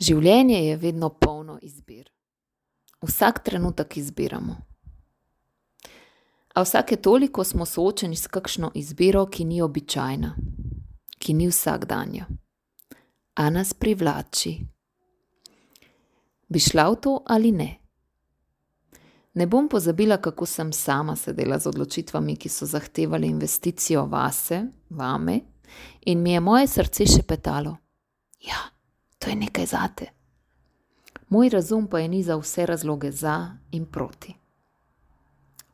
Življenje je vedno polno izbir. Vsak trenutek izbiramo. A vsake toliko smo soočeni s kakšno izbiro, ki ni običajna, ki ni vsakdanja, a nas privlači. Bi šla v to ali ne? Ne bom pozabila, kako sem sama sedela z odločitvami, ki so zahtevali investicijo vase, vame, in mi je moje srce šepetalo: ja, to je nekaj zate. Moj razum pa je nizal vse razloge za in proti.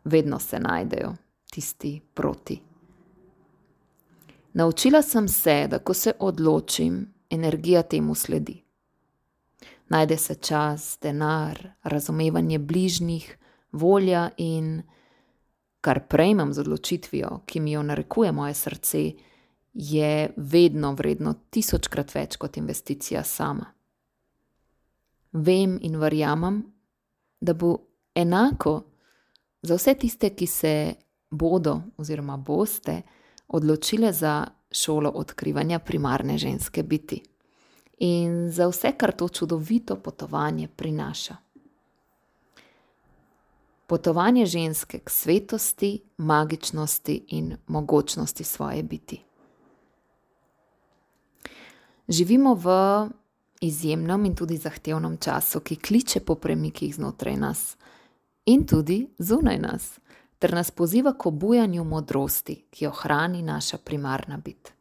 Vedno se najdejo tisti proti. Naučila sem se, da ko se odločim, energija temu sledi. Najde se čas, denar, razumevanje bližnjih, volja in kar prejmem z odločitvijo, ki mi jo narekuje moje srce, je vedno vredno 1000-krat več kot investicija sama. Vem in verjamem, da bo enako za vse tiste, ki se bodo oziroma boste odločile za šolo odkrivanja primarne ženske biti in za vse, kar to čudovito potovanje prinaša. Potovanje ženske k svetosti, magičnosti in mogočnosti svoje biti. Živimo v izjemnem in tudi zahtevnem času, ki kliče po premikih znotraj nas in tudi zunaj nas, ter nas poziva k obujanju modrosti, ki jo hrani naša primarna bit.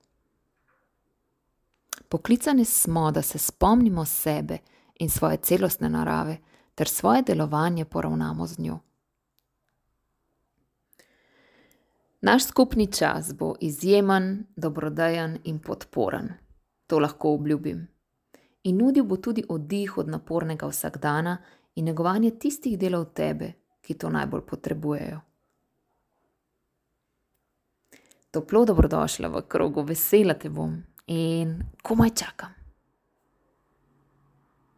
Poklicani smo, da se spomnimo sebe in svoje celostne narave, ter svoje delovanje poravnamo z njo. Naš skupni čas bo izjemen, dobrodejen in podporen. To lahko obljubim. In nudil bo tudi oddih od napornega vsakdana in negovanje tistih delov tebe, ki to najbolj potrebujejo. Toplo dobrodošla v krogu, vesela te bom in komaj čakam.